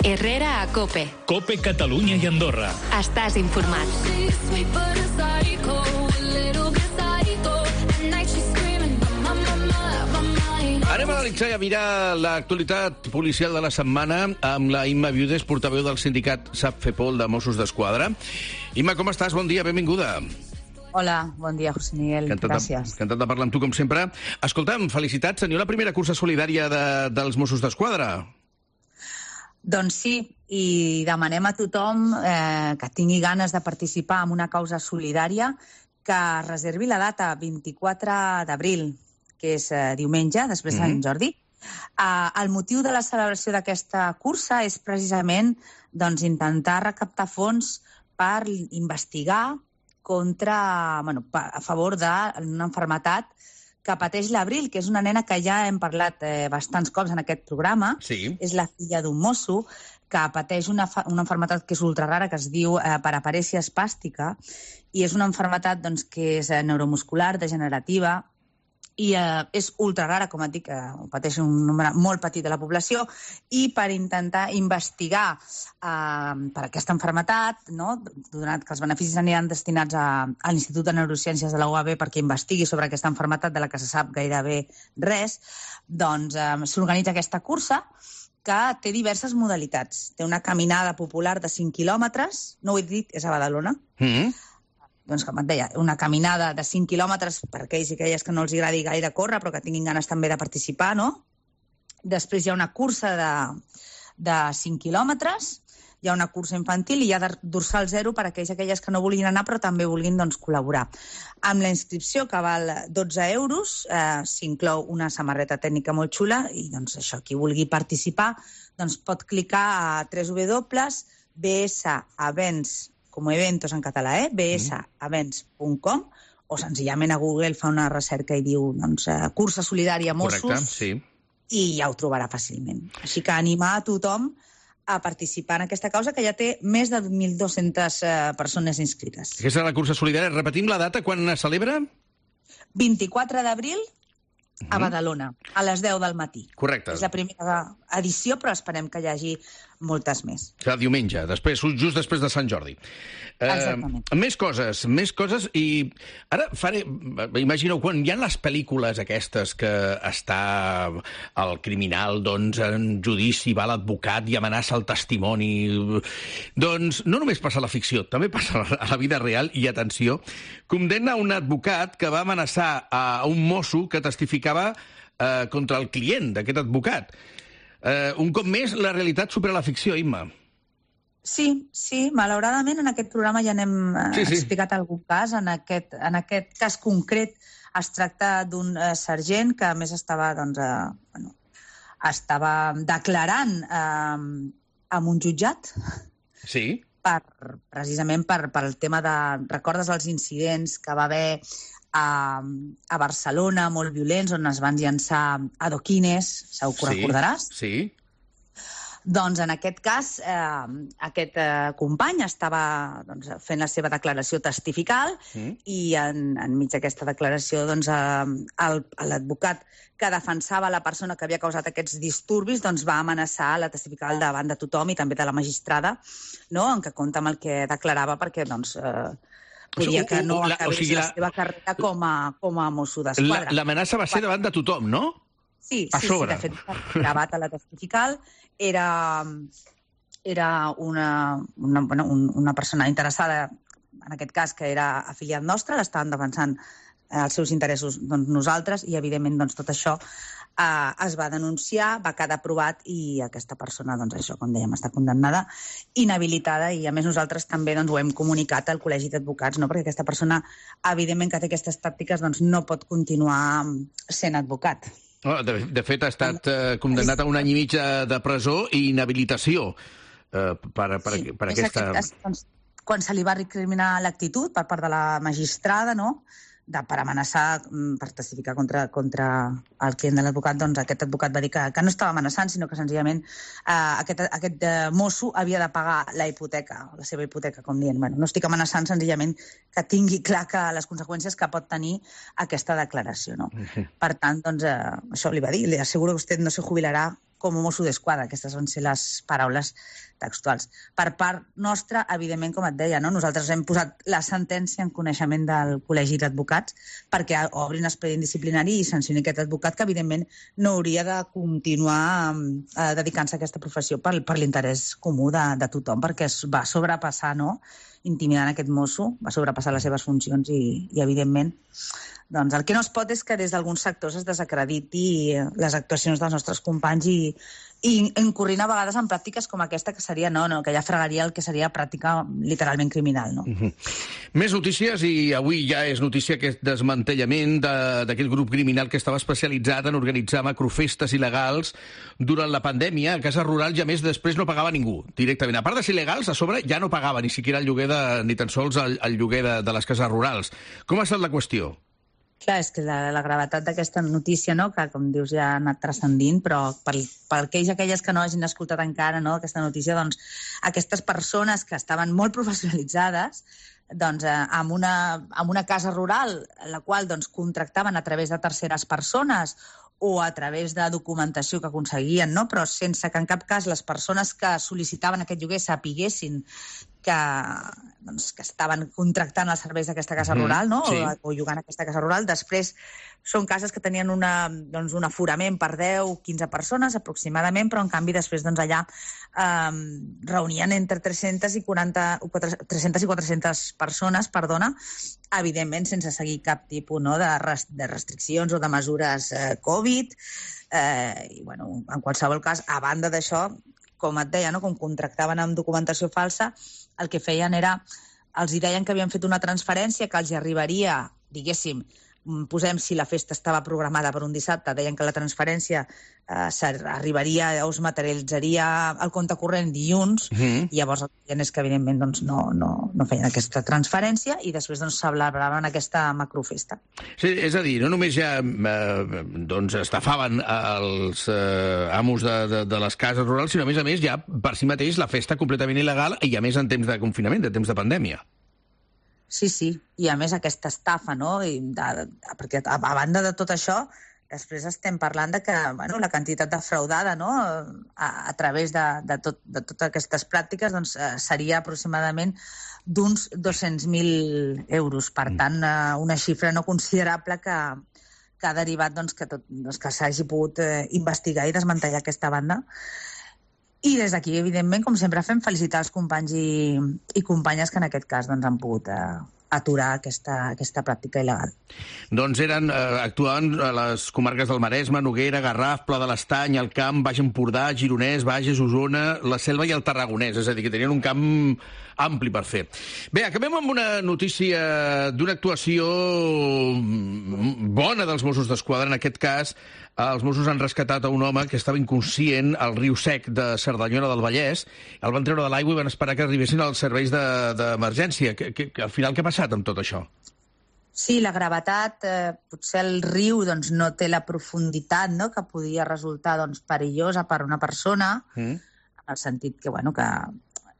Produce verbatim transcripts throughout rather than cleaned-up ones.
Herrera a COPE. COPE Catalunya i Andorra. Estàs informat. Anem a analitzar i a mirar l'actualitat policial de la setmana amb la Imma Viudes, portaveu del sindicat SAPFEPOL de Mossos d'Esquadra. Imma, com estàs? Bon dia, benvinguda. Hola, bon dia, José Miguel. Encantat Gràcies. De, encantat de parlar amb tu, com sempre. Escolta'm, felicitats, senyor, la primera cursa solidària de, dels Mossos d'Esquadra. Doncs sí, i demanem a tothom eh, que tingui ganes de participar en una causa solidària que reservi la data vint-i-quatre d'abril, que és eh, diumenge, després de Sant Jordi. Eh, el motiu de la celebració d'aquesta cursa és precisament doncs, intentar recaptar fons per investigar contra, bueno, a favor d'una malaltia que pateix l'Abril, que és una nena que ja hem parlat eh, bastants cops en aquest programa. Sí. És la filla d'un mosso que pateix una, una malaltia que és ultrarara, que es diu eh, paraparèsia espàstica, i és una malaltia doncs, que és eh, neuromuscular, degenerativa, i eh, és ultrarara, com et dic, eh, pateix un nombre molt petit de la població, i per intentar investigar eh, per aquesta malaltia, no, donat que els beneficis aniran destinats a, a l'Institut de Neurociències de la U A B perquè investigui sobre aquesta malaltia de la que se sap gairebé res, doncs eh, s'organitza aquesta cursa que té diverses modalitats. Té una caminada popular de cinc quilòmetres, no ho he dit, és a Badalona, Mm-hmm. doncs, com et deia, una caminada de cinc quilòmetres per aquells i aquelles que no els agradi gaire córrer, però que tinguin ganes també de participar, no? Després hi ha una cursa de, de cinc quilòmetres, hi ha una cursa infantil i hi ha dorsal zero per aquells i aquelles que no vulguin anar però també vulguin doncs, col·laborar. Amb la inscripció, que val dotze euros, eh, s'inclou una samarreta tècnica molt xula i doncs, això, qui vulgui participar doncs, pot clicar a w w w punt b s events com eventos en català, eh? b s events punt com, o senzillament a Google fa una recerca i diu doncs, eh, cursa solidària Mossos. Correcte, sí. I ja ho trobarà fàcilment. Així que animar a tothom a participar en aquesta causa, que ja té més de mil dues-centes eh, persones inscrites. Aquesta és la cursa solidària. Repetim la data, quan es celebra? vint-i-quatre d'abril a Badalona, a les deu del matí. Correcte. És la primera edició, però esperem que hi hagi moltes més. Serà diumenge, després, just després de Sant Jordi. Exactament. Eh, més coses, més coses, i ara faré... Imagineu, quan hi ha les pel·lícules aquestes que està el criminal, doncs, en judici, va l'advocat i amenaça el testimoni... Doncs no només passa a la ficció, també passa a la vida real, i atenció, condemna un advocat que va amenaçar a un mosso que testificava eh, contra el client d'aquest advocat. Uh, un cop més, la realitat supera la ficció, Imma. Sí, sí, malauradament en aquest programa ja n'hem Sí, sí. explicat algun cas. En aquest, en aquest cas concret es tracta d'un eh, sergent que a més estava, doncs, eh, bueno, estava declarant eh, en un jutjat Sí. per, precisament per, per el tema de... Recordes els incidents que va haver a, a Barcelona, molt violents, on es van llançar adoquines, segur que ho Sí, recordaràs? sí. Doncs en aquest cas, eh, aquest eh, company estava doncs, fent la seva declaració testifical Mm. i en, enmig d'aquesta declaració doncs, eh, el- l'advocat que defensava la persona que havia causat aquests disturbis doncs, va amenaçar la testifical davant de tothom i també de la magistrada, no? En què compta amb el que declarava perquè doncs, eh, podia que no La- o acabés sigui, la la- seva carrera com a, com a mosso La- d'esquadra. L'amenaça va ser davant de tothom, no? Sí, A sí, sobre. sí, de fet, gravat a la testifical. Era, era una, una, bueno, un, una persona interessada, en aquest cas, que era afiliat nostre, l'estaven defensant eh, els seus interessos doncs, nosaltres, i, evidentment, doncs, tot això eh, es va denunciar, va quedar aprovat, i aquesta persona, doncs, això, com dèiem, està condemnada, inhabilitada, i, a més, nosaltres també doncs, ho hem comunicat al Col·legi d'Advocats, no? Perquè aquesta persona, evidentment, que té aquestes tàctiques, doncs, no pot continuar sent advocat. Oh, De, de fet, ha estat eh, condemnat a un any i mig de, de presó i inhabilitació eh, per, per, Sí, per és aquesta... aquest cas, doncs, quan se li va recriminar l'actitud per part de la magistrada, no?, de, per amenaçar, mm, per testificar contra, contra el client de l'advocat, doncs aquest advocat va dir que, que no estava amenaçant, sinó que senzillament eh, aquest, aquest eh, mosso havia de pagar la hipoteca, la seva hipoteca, com dient, bueno, no estic amenaçant, senzillament que tingui clar que les conseqüències que pot tenir aquesta declaració, no? Mhm. Per tant, doncs, eh, això li va dir, li asseguro que vostè no se jubilarà com a Mosso d'Esquadra. Aquestes van ser les paraules textuals. Per part nostra, evidentment, com et deia, no? Nosaltres hem posat la sentència en coneixement del Col·legi d'Advocats perquè obrin expedient disciplinari i sancioni aquest advocat que, evidentment, no hauria de continuar eh, dedicant-se a aquesta professió per, per l'interès comú de, de tothom, perquè es va sobrepassar, no?, intimidant aquest mosso, va sobrepassar les seves funcions i, i evidentment, doncs el que no es pot és que des d'alguns sectors es desacrediti les actuacions dels nostres companys i, i incorrint a vegades en pràctiques com aquesta, que seria, no, no, que ja fregaria el que seria pràctica literalment criminal, no? Uh-huh. Més notícies, i avui ja és notícia aquest desmantellament d'aquest grup criminal que estava especialitzat en organitzar macrofestes il·legals durant la pandèmia a cases rurals i, a més, després no pagava ningú directament. A part de ser il·legals, a sobre ja no pagava ni siquiera el lloguer de, ni tan sols el, el lloguer de, de les cases rurals. Com ha estat la qüestió? Clar, és que la, la gravetat d'aquesta notícia, no?, que, com dius, ja ha anat transcendint, però per, per aquells i aquelles que no hagin escoltat encara, no?, aquesta notícia, doncs, aquestes persones que estaven molt professionalitzades, doncs, eh, amb, una, amb una casa rural, la qual doncs, contractaven a través de terceres persones o a través de documentació que aconseguien, no?, però sense que en cap cas les persones que sol·licitaven aquest lloguer sapiguessin que, doncs, que estaven contractant els serveis d'aquesta casa rural, no? Sí. o, o llogant aquesta casa rural. Després són cases que tenien una, doncs, un aforament per deu o quinze persones aproximadament, però en canvi després doncs, allà eh, reunien entre tres-centes i quaranta, tres-centes i quatre-centes persones, perdona, evidentment sense seguir cap tipus, no?, de, res, de restriccions o de mesures eh, Covid. Eh, I, bueno, en qualsevol cas, a banda d'això, com et deia, no?, com contractaven amb documentació falsa, el que feien era, els hi deien que havien fet una transferència que els arribaria, diguéssim, posem si la festa estava programada per un dissabte, deien que la transferència eh, arribaria o es materialitzaria al compte corrent dilluns, Mm-hmm. i llavors el que feien és que, evidentment, doncs, no, no, no feien aquesta transferència i després doncs, celebraven aquesta macrofesta. Sí, és a dir, no només ja eh, doncs estafaven els eh, amos de, de, de les cases rurals, sinó, a més a més, ja per si mateix la festa completament il·legal i, a més, en temps de confinament, de temps de pandèmia. Sí, sí, i a més aquesta estafa, no? I de, de, perquè a, a banda de tot això, després estem parlant de que, bueno, la quantitat defraudada, no?, a, a través de, de, tot, de totes aquestes pràctiques, doncs, eh, seria aproximadament d'uns dos-cents mil euros. Per tant, eh, una xifra no considerable que, que ha derivat doncs, que, tot, doncs, que s'hagi pogut eh, investigar i desmantellar aquesta banda. I des d'aquí, evidentment, com sempre fem, felicitar els companys i, i companyes que en aquest cas doncs, han pogut eh, aturar aquesta, aquesta pràctica il·legal. Doncs eren, eh, actuaven a les comarques del Maresme, Noguera, Garraf, Pla de l'Estany, el Camp, Baix Empordà, Gironès, Bages, Osona, la Selva i el Tarragonès, és a dir, que tenien un camp ampli per fer. Bé, acabem amb una notícia d'una actuació bona dels Mossos d'Esquadra. En aquest cas, els Mossos han rescatat a un home que estava inconscient al riu Sec de Cerdanyola del Vallès. El van treure de l'aigua i van esperar que arribessin als serveis d'emergència. De, que, que, al final, què ha passat amb tot això? Sí, la gravetat, eh, potser el riu doncs, no té la profunditat, no?, que podia resultar doncs, perillosa per una persona, mm. en el sentit que, bueno, que,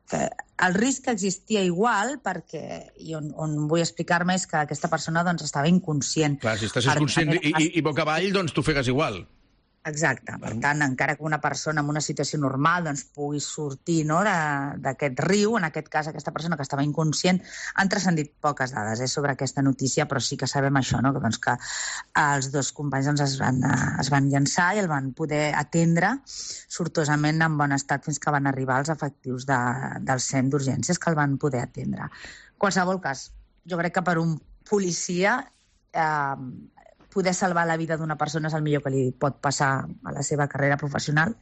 que el risc existia igual perquè, i on, on vull explicar-me és que aquesta persona doncs, estava inconscient. Clar, si estàs inconscient i, i, i boca avall, doncs t'ho fegues igual. Exacte. Per tant, encara que una persona en una situació normal doncs, pugui sortir, no?, d'aquest riu, en aquest cas aquesta persona que estava inconscient, han transcendit poques dades eh, sobre aquesta notícia, però sí que sabem això, no?, que, doncs, que els dos companys doncs, es, van, es van llançar i el van poder atendre sortosament en bon estat fins que van arribar els efectius de, del C E M d'urgències que el van poder atendre. En qualsevol cas, jo crec que per un policia eh, poder salvar la vida d'una persona és el millor que li pot passar a la seva carrera professional.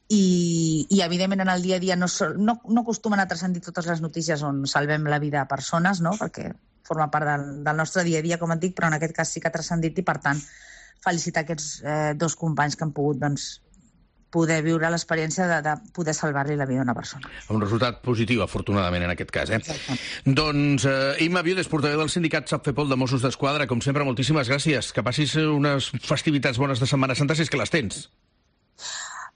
I, i evidentment, en el dia a dia no, no, no acostumen a transcendir totes les notícies on salvem la vida a persones, no?, perquè forma part del, del nostre dia a dia, com et dic, però en aquest cas sí que ha transcendit i, per tant, felicitar aquests eh, dos companys que han pogut, doncs, poder viure l'experiència de, de poder salvar-li la vida a una persona. Un resultat positiu, afortunadament, en aquest cas. Eh? Exacte. Doncs, eh, Imma Viudes, portaveu del sindicat SAPFEPOL de Mossos d'Esquadra, com sempre, moltíssimes gràcies. Que passis unes festivitats bones de Setmana Santa, si és que les tens.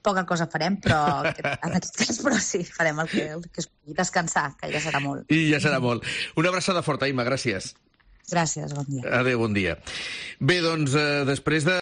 Poca cosa farem, però en aquest cas, però sí, farem el que, el que es pugui descansar, que ja serà molt. I ja serà molt. Una abraçada forta, Imma, gràcies. Gràcies, bon dia. Adéu, bon dia. Bé, doncs, eh, després de